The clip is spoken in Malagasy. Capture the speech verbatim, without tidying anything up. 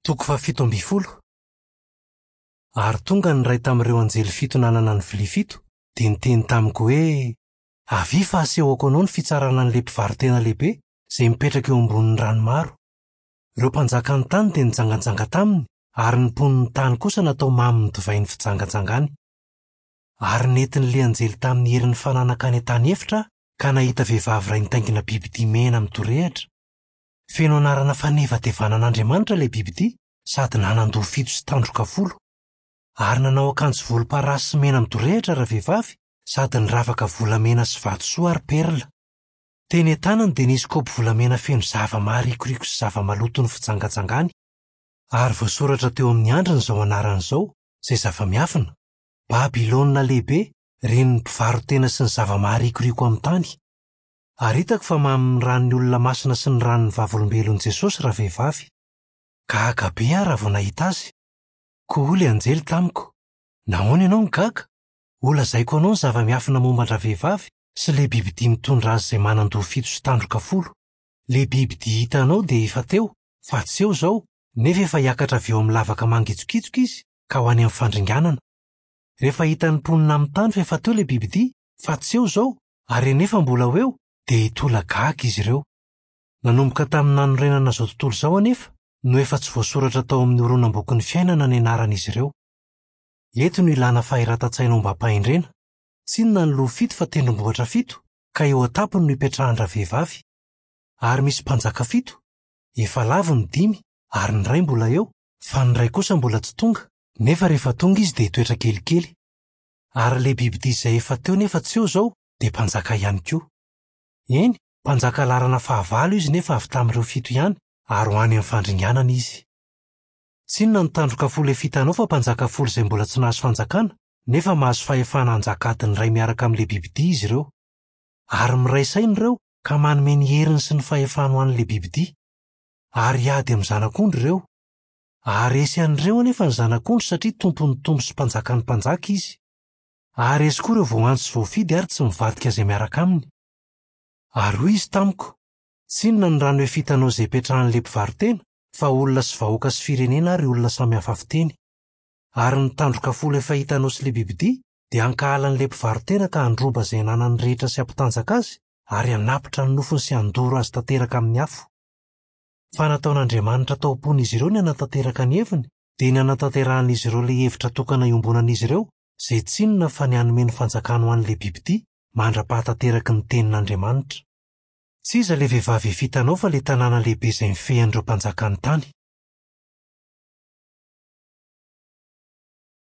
Toko fahafito ambin'ny folo. Ary tonga ny iray tamin'ireo anjely fito nanana ny vilia fito, dia niteny tamiko hoe: "Avia fa asehoko anao ny fitsarana an'ilay mpivaro-tena lehibe izay mipetraka eo ambonin'ny rano maro. Ireo mpanjakan'ny tany dia nijanganjanga taminy, ary ny mponin'ny tany kosa natao mamin'ny divain'ny fijangajangany." Ary nentin'ilay anjely tamin'ny herin'ny fananaka any an-tany efitra aho, ka nahita vehivavy iray nitaingina bibidia mena midorehitra. Feno anarana fanevatevana an'Andriamanitra ilay bibidia sady nanan-doha fito sy tandroka folo. Ary nanao akanjo volomparasy sy mena midorehitra ravehivavy sady niravaka volamena sy vatosoa ary perla. Teny an-tanany dia nisy kaopy volamena feno zava-maharikoriko sy zava-maloto ny fijangajangany. Ary voasoratra teo amin'ny andriny izao anarana izao, izay zava-miafina: Babylona lehibe, renin'ny mpivaro-tena sy ny zava-maharikoriko amin'ny tany. Ary hitako fa mamin'ny ran'ny olona masina sy ny ran'ny vavolombelon'i Jesosy ravehivavy. Gaga be aho raha vao nahita azy. Koa hoy ilay anjely tamiko: "Nahoana ianao no gaga? Holazaiko anao ny zava-miafina momba an-dravehivavy sy ilay bibidia mitondra azy izay manan-doha fito sy tandroka folo. Ilay bibidia hitanao dia efa teo, fa tsy eo izao, nefa efa hiakatra avy eo amin'ny lavaka mangitsokitsoka izy ka ho any amin'ny fandringanana. Rehefa hitan'ny mponina amin'ny tany fa efa teo ilay bibidia, fa tsy eo izao, ary anefa mbola ho eo, dia hitolagaga izy ireo. Nanomboka tamin'ny nanorenana izao tontolo izao anefa no efa tsy voasoratra tao amin'ny horonam-bokin'ny fiainana ny anaran'izy ireo. Eto no ilana fahiratan-tsaina ombam-pahendrena. Tsy inona ny loha fito fa tendrombohitra fito, ka eo an-tampony no ipetrahan-dravehivavy. Ary misy mpanjaka fito, efa lavo ny dimy ary ny iray mbola eo, fa ny iray kosa mbola tsy tonga, nefa rehefa tonga izy dia hitoetra kelikely. Ary ilay bibidia izay efa teo nefa tsy eo izao dia mpanjaka ihany koa. Eny, mpanjaka laharana fahavalo izy nefa avy tamin'ireo fito ihany, ary ho any amin'ny fandringanana izy. Tsy inona ny tandroka folo efa hitanao fa mpanjaka folo izay mbola tsy nahazo fanjakana, nefa mahazo fahefana hanjaka adiny iray miaraka amin'ilay bibidia izy ireo. Ary miray saina ireo ka manome ny heriny sy ny fahefany ho an'ilay bibidia. Ary hiady amin'ny zanak'ondry ireo. Haharesy an'ireo anefa ny zanak'ondry satria tompon'ny tompo sy mpanjakan'ny mpanjaka izy. Haharesy koa ireo voaantso sy voafidy ary tsy mivadika izay miaraka aminy. Ary hoy izy tamiko: "Tsy inona ny rano efa hitanao izay ipetrahan'ilay mpivaro-tena, fa olona sy vahoaka sy firenena ary olona samy hafa fiteny. Ary ny tandroka folo efa hitanao sy ilay bibidia dia hankahala an'ilay mpivaro-tena ka handroba izay ananany rehetra sy hampitanjaka azy ary hanapitra ny nofony sy handoro azy tanteraka amin'ny afo. Fa nataon'Andriamanitra tao am-pon'izy ireo ny hanatanteraka ny heviny, dia ny hanatanterahan'izy ireo ilay hevitra tokana iombonan'izy ireo, izay tsy inona fa ny hanome ny fanjakany ho an'ilay bibidia mandra-pahatanteraky ny tenin'Andriamanitra. Tsy iza ilay vehivavy efa hitanao fa ilay tanàna lehibe izay mifehy an'ireo mpanjakan'ny tany."